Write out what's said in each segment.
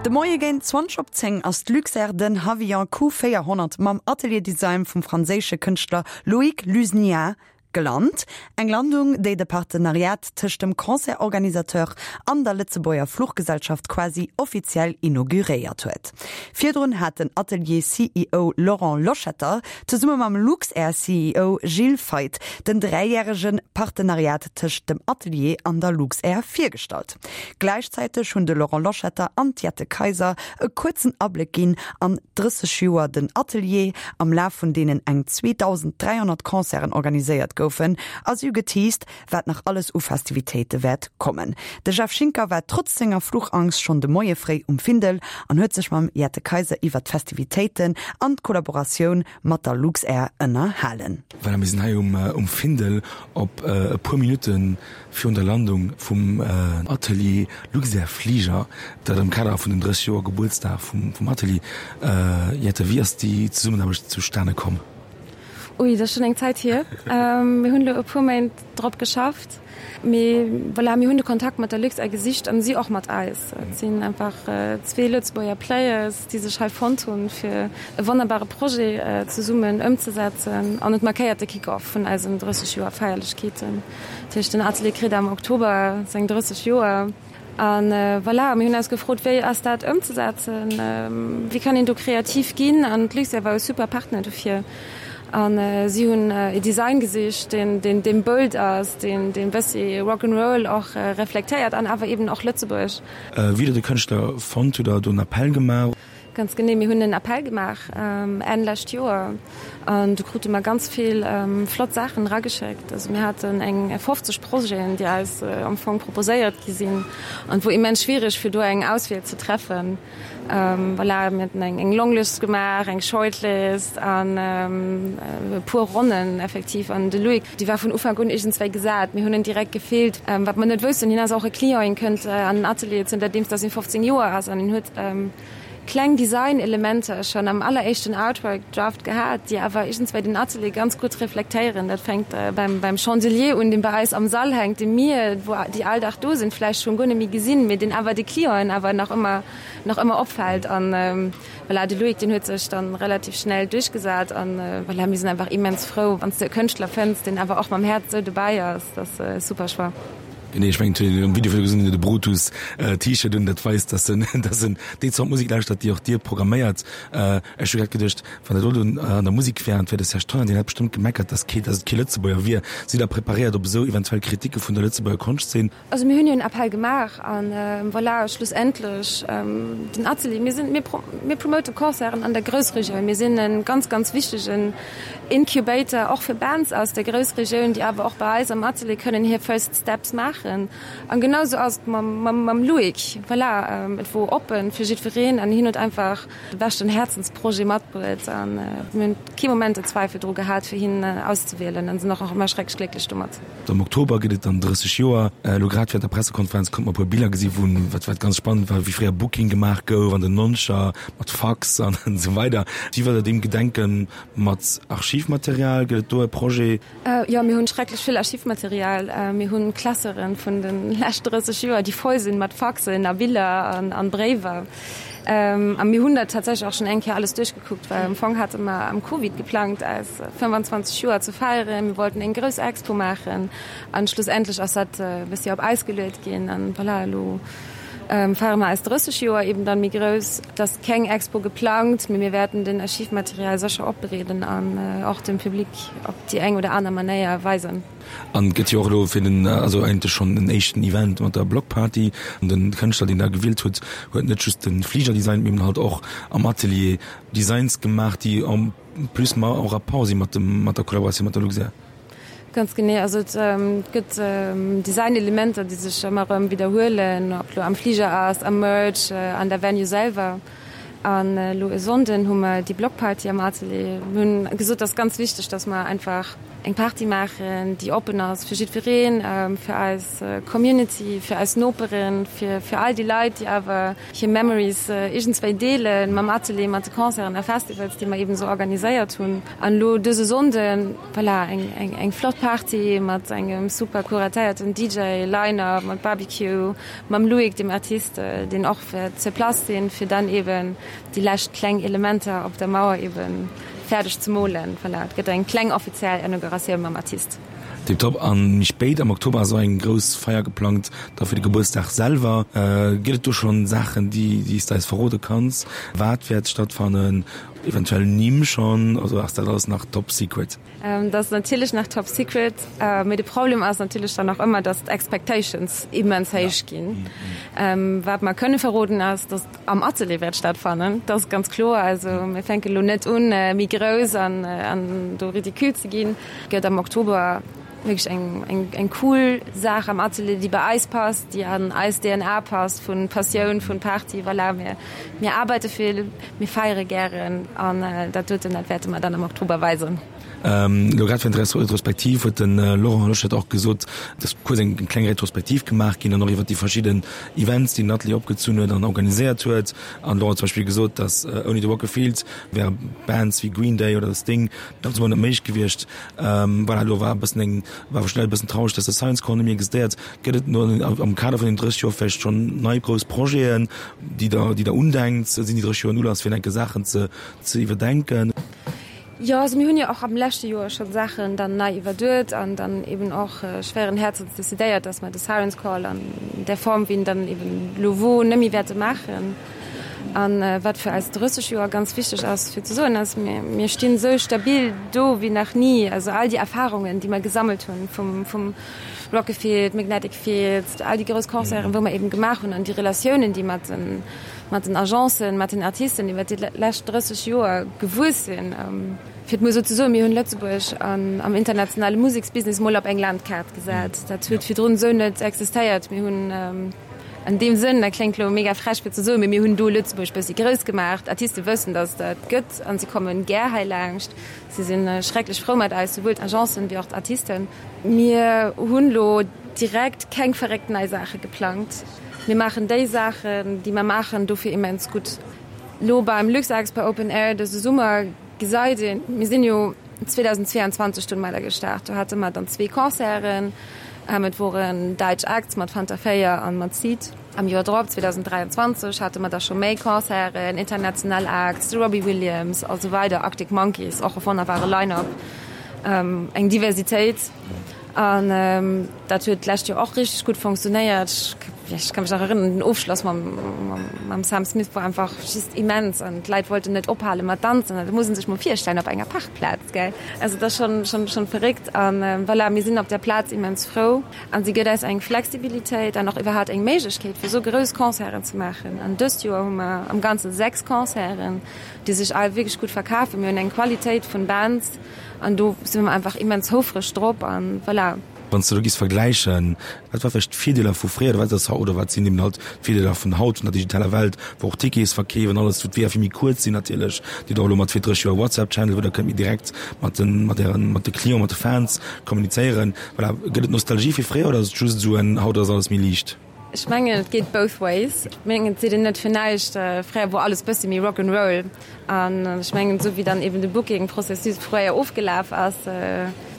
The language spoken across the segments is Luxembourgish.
De Moie géint 20 op 10 ass d'Luxair den Havilland Q400 mam Atelier Design vum franséische Kënschtler Loïc Luzniat gelant. Eng Landung, déi de Partenariat tëscht dem Concert-Organisateur an der Lëtzebuerger Fluchgesellschaft quasi offiziell inauguréiert huet. Virdrun hat den Atelier-CEO Laurent Loschetter zesumme mam Luxair-CEO Gilles Feith den dräijärege Partenariat tëscht dem Atelier an der Luxair virgestallt. Gläichzäiteg hunn de Laurent Loschetter an d'Jette Kayser e kuerzen Abléck ginn an 30 Joer den Atelier, am Laf vun deenen eng 2.300 Concerten organiséiert goufen, a si hu geteased, wat nach alles u Festivitéite wäert kommen. De Jeff Schinker war trotz senger Fluchangst schonn de Moie fréi um Findel an huet sech mam Jette Kayser iwwer d'Festivitéiten an d'Kollaboratioun mat der Luxair ënnerhalen. Voilà, mir sinn hei um Findel op e puer Minutte virun der Landung vum Atelier Luxair Fliger, dat am Kader vun den 30 Joer Gebuertsdag vum Atelier. Jette, wéi ass déi Zesummenaarbecht zustane komm? Ui, dat ass schonn eng Zäit hier. Mir hunn elo e puer Méint drop geschafft. Mee voilà, mir hunn de Kontakt mat der Luxair gesicht an si och mat eis. Et sinn einfach zwee Lëtzebuerger Players, déi sech hei fonnt hunn, fir e wonnerbare Projet zesummen ëmzesetzen. An et markéiert de Kick-off vun eisen 30 Joer Feierlechkeeten. Dat heescht, den Atelier kritt am Oktober seng 30 Joer. A voilà, mir hunn eis gefrot, wéi ass dat ëmzesetzen, wéi kann een do kreativ ginn? An d'Luxair war e super Partner dofir. A si hunn e Design gesicht, deen, deen, deen bold ass, deen, deen e bëssi Rock 'n' Roll och reflektéiert an awer eben och Lëtzebuerg. Wéi der de Kënschtler fonnt hutt, der do en Appell gemaach? Ganz genee, mir hunn en Appell gemaach Enn lescht Joer an do krute mer ganz vill flott Saachen erageschéckt. Also mir haten eng 50 Projeten, déi eis am Fong proposéiert gi sinn an et wor immens schwiereg fir do eng Auswiel ze treffen. Voilà, mir haten eng Longlist gemaach, eng Shortlist an e puer Ronnen effektiv an de Loïc, dee war vun Ufank un iergendswéi gesat. Mir hunn en direkt gefillt. Wat mer net woussten, hien ass och e Client, hien kënnt an den Atelier zënterdeems datt hien 15 Joer ass an hien huet kleng Design-Elementer schonn am alleréischten Artwork-Draft gehat, déi awer iergendswéi den Atelier ganz gutt reflektéieren. Dat fänkt beim beim Chandelier un, dee bei eis am Sall hänkt, dee mir, wou déi all Dag do sinn, vläicht schonn guer net méi gesinn, mee deen awer de Clienten awer nach ëmmer nach ëmmer opfält. An voilà, de Loïc, deen huet sech dann relativ schnell duerchgesat an voilà, mir sinn einfach immens frou, wann s de e Kënschtler fënns, deen awer och mam Häerz esou dobäi ass. Dat ass e super Choix. Genee, ech mengen, et huet een am Video virdru gesinn, de Brutus T-Shirt un, dat weist, dass en, dass en déi Zort Musek lauschtert, déi och Dir programméiert. Ech hu grad geduecht, wann dat elo an der Musek wär an et wär de Serge Tonnar, deen hätt bestëmmt gemeckert, dass kee, dass et kee Lëtzebuerger wier. Sidd Der preparéiert op esou eventuell Kriticke vun der Lëtzebuerger Konschtzeen? Also mir hunn jo en Appell gemaach an voilà, schlussendlech den Atelier, mir sinn, mir, mir promote Concerten an der Groussregioun, mir sinn e ganz, ganz wichtegen Incubator och fir Bands aus der Groussregioun, déi awer och bei eis am Atelier kënnen hir First Steps maachen. An genau sou ass et mam, mam, mam Loïc. Voilà, et wor oppen fir jiddwereen an hien huet einfach de beschten Häerzensprojet matbruet an mir hunn kee Moment en Zweifel dru gehat, fir hien auszewielen an sinn och nach ëmmer schrecklech glécklech domat. Am Oktober gëtt et dann 30 Joer. Elo grad während der Pressekonferenz konnte mer e puer Biller gesi wou, wat wat ganz spannend war, wéi fréier Booking gemaach gouf an den Noncher mat Fax an esou weider. Wéi wëllt der deem gedenken? Mat Archivmaterial? Gëtt et do e Projet? Jo, mir hunn schrecklech vill Archivmaterial. Mir hunn Classeuren vun de lescht 30 Joer, déi voll sinn mat Faxen a Biller an Bréiwer. A mir hunn dat tatsächlech och schonn eng Kéier alles duerchgekuckt, well am Fong hate mer am Covid geplangt, eis 25 Joer ze feieren. Mir wollten eng grouss Expo maachen an schlussendlech ass dat e bëssi op Äis geluet ginn. An voilà, elo feiere mer eis 30 Joer eben dann méi grouss. Et ass keng Expo geplangt, mee mir wäerten den Archivmaterial sécher opbereeden an och dem Public op déi eng oder aner Manéier weisen. An et gëtt jo och elo fir den, also eigentlech schonn en éischten Event mat der Blockparty. An den Kënschtler, deen da gewielt huet, huet net just de Fliger designt, mee eben halt och am Atelier Designs gemaach, déi en plus ma en rapport si mat dem, mat der Kollaboratioun mat der Luxair. Ganz genee. Also et gëtt Designelementer, déi sech ëmmer erëm widderhuelen, ob lo am Fliger ass, am Merch, an der Venue selwer. An elo e Sonnden hu mer déi Blockparty am Atelier. Mir hunn gesot, et ass ganz wichteg, datt mer einfach. Eng Party maachen, déi oppen ass fir jiddwereen, fir eis Community, fir eis Noperen, fir fir all déi Leit, déi awer hir Memories iergendswéi deele mam Atelier, mat de Concerten a Festivals, déi mer eben esou organiséiert hunn. An elo dëse Sonnden, voilà, eng eng eng flott Party mat engem super kuratéierten DJ Line-Up, mat Barbecue, mam Loïc, dem Artist, deen och wäert sur place sinn, fir dann eben déi lescht kleng Elementer op der Mauer eben fäerdeg ze molen. Voilà, et gëtt eng kleng offiziell Inauguratioun mam Artist. Tiptop. An méi spéit am Oktober ass och eng grouss Feier geplangt da fir de Gebuertsdag selwer. Gëtt et do schonn Saachen, déi déi s de eis verrode kanns? Wat wäert stattfannen? Eventuell Nimm schonn? Also ass dat alles nach top secret? Dat ass natierlech nach top secret. Mee de Problem ass natierlech dann och ëmmer, dass d'Expectations immens héich ginn. Wat mer kënne verroden ass, dass et am Atelier wäert stattfannen. Dat ass ganz kloer. Also mir fänke lo net un, méi grouss an an do ridicule ze ginn. Et gëtt am Oktober wierklech eng eng eng cool Saach am Atelier, déi bei eis passt, déi an eis DNA passt, vu Passioun, vun Party. Voilà, mir mir arbeite vill. Mir feiere gären an dat doten, dat wäerte mer dann am Oktober weisen. Elo grad während der Retrospektiv huet de Laurent Loschetter och gesot, dass kuerz eng kleng Retrospektiv gemaach ginn an och iwwer déi verschidden Events, déi den Atelier opgezunn huet an organiséiert huet. An de Laurent huet zum Beispill gesot, dass ouni de Rock a Field wäre Bands wéi Green Day oder The Sting ganz emol net méiglech gewiescht. Voilà, elo war e bëssen eng, war schnell e bëssen traureg, dass de Science Corps net méi existéiert. Gëtt et am Kader vun den 30 Joer vläicht schonn nei grouss Projeten, déi Der, déi Der undenkt? Sinn déi 30 Joer en Ulass fir enke Saachen ze, ze iwwerdenken? Jo, also mir hunn jo och am leschte Joer scho Saachen dann nei iwwerduet an dann eben och schwéieren Häerzens decidéiert, dass mer de Siren's Call an där Form, wéi en dann eben elo wor, net méi wäerte maachen. A wat fir eis 30 Joer ganz wichteg ass fir ze soen, ass, mir, mir stinn esou stabil do wéi nach ni. Also all déi Erfahrungen, déi mer gesammelt hunn vum, vum Rockafield, Magnetic Fields, all déi grouss Concerten, wou mer eben gemaach hunn an déi Relatiounen, déi mat den, mat den Agencen, mat den Artisten iwwer déi lescht 30 Joer gewuess sinn. Fir et mol esou ze soen, mir hunn Lëtzebuerg an, am internationale Museksbusiness mol op eng Landkaart gesat. Dat huet virdrun esou net existéiert. Mir hunn an deem Sënn, dat kléngt elo mega frech fir ze soen, mee mir hunn do Lëtzebuerg bëssi grouss gemaach. D'Artiste wëssen, datt et dat gëtt an si komme gär hei laanscht. Si si schrecklech frou mat eis, souwuel d'Agencen wéi och d'Artisten. Mir hunn elo direkt keng verréckt nei Saache geplangt. Mir maachen déi Saachen, déi mer maachen, dofir immens gutt. Elo beim Luxexpo Open Air dëse Summer gesäit een, mir sinn jo 2022 domadder gestart, do hate mer dann zwee Concerten, et woren däitsch Acts mat Fanta 4 an mat Seed. Am Joer drop, 2023, hate mer da scho méi Concerten, international Acts, de Robbie Williams a sou weider, Arctic Monkeys, och e wonnerbare Line-up, eng Diversitéit. An dat huet d'lescht Joer och richteg gutt fonctionnéiert. Ech ka mech nach erënneren, den Ofschloss mam Sam Smith war einfach just immens an d'Leit wollten net ophale mat danzen. Dat muss ee sech mol virstellen op enger Parkplaz, gell? Also dat ass schonn, schonn verréckt. An voilà, mir sinn op där Plaz immens frou. An si gëtt eis eng Flexibilitéit an och iwwerhaapt eng Méiglechkeet, fir esou grouss Concerten ze maachen. An dëst Joer hu mer am Ganze 6 Concerten, déi sech all wierklech gutt verkafen. Mir hunn eng Qualitéit vun Bands an do si mer einfach immens houfreg drop an voilà. Wann s de elo giffs vergläichen, wat war vläicht d'Virdeeler vu fréier oder wat ass haut oder wat sinn eben haut d'Virdeeler vun haut, vun der digitaler Welt, wou och Tickets verkeef an alles, wou d'Weeër vill méi kuerz sinn natierlech, Dir hutt och elo mat fir 30 Joer WhatsApp-Channel, wou der kënnt méi direkt mat den, mat ären, mat de Clienten, mat de Fans kommunizéieren. Voilà, gëtt et Nostalgie fir fréier oder ass et just esou en haut ass alles méi liicht? Ech mengen et geet both ways. Ech mengen et seet een net fir näischt, fréier wor alles bëssi méi Rock 'n' Roll an ech mengen esou wéi dann eben de Booking-Processus fréier ofgelaf ass,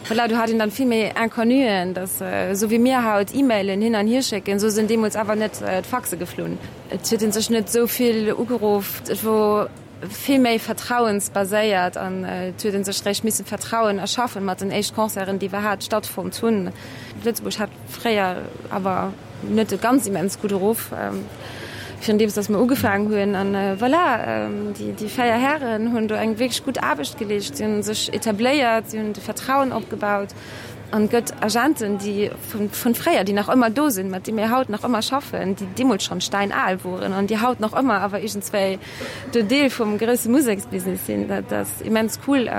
voilà, do hat een dann vill méi Inconnuen, dass esou wéi mir haut E-Mailen hin an hier schécken, esou sinn deemools awer net d'Faxe geflunn. Et huet ee sech net esou vill ugeruff, et wor vill méi vertrauensbaséiert an et huet ee sech réischt missen Vertrauen erschaffen mat den éischt Concerten, déi iwwerhaapt stattfonnt hunn. Lëtzebuerg hat fréier awer net e ganz immens gudde Ruff, virun deems datt mer ugefaangen hunn. An voilà, déi 4 Hären hunn do eng wierklech gutt Aarbecht geleescht. Si hunn sech etabléiert, si hunn de Vertrauen opgebaut an et gëtt Agenten, déi vun fréier, déi nach ëmmer do sinn, mat deem mir haut nach ëmmer schaffen, déi deemools schonn steinal woren an déi haut nach ëmmer awer iergendswéi do Deel vum grousse Museksbusiness sinn. Dat ass immens cool.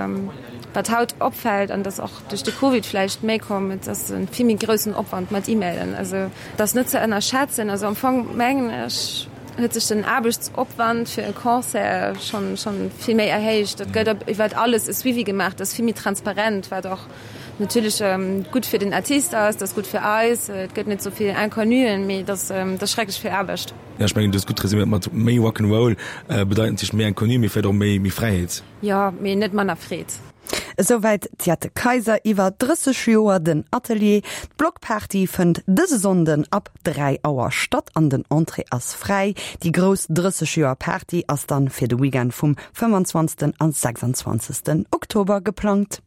Wat haut opfält, an dat ass och duerch de Covid vläicht méi komm, et ass e vill méi groussen Opwand mat E-Mailen. Also et ass net ze ënnerschätzen. Also am Fong mengen ech, huet sech den Aarbechtsopwand fir e Concert schonn, schonn vill méi erhéicht. Et gëtt iwwert alles e Suivi gemaach, et ass vill méi transparent, wat och. Natierlech gutt fir den Artist ass, et ass gutt fir eis, et gëtt net esou vill Inconnuen, mee et ass schrecklech vill Aarbecht. Jo, ech mengen, du hues gutt resüméiert mat méi Rock 'n' Roll bedeit natierlech méi Inconnu, mee vläicht och méi, méi Fräiheet. Jo, mee net manner Freed. Esouwäit d'Jette Kayser iwwer 30 Joer den Atelier. D'Blockparty fënnt dëse Sonnden ab 3 Auer statt an den Entrée ass fräi. Déi grouss 30 Joer Party ass dann fir de Weekend vum 25. a 26. Oktober geplangt.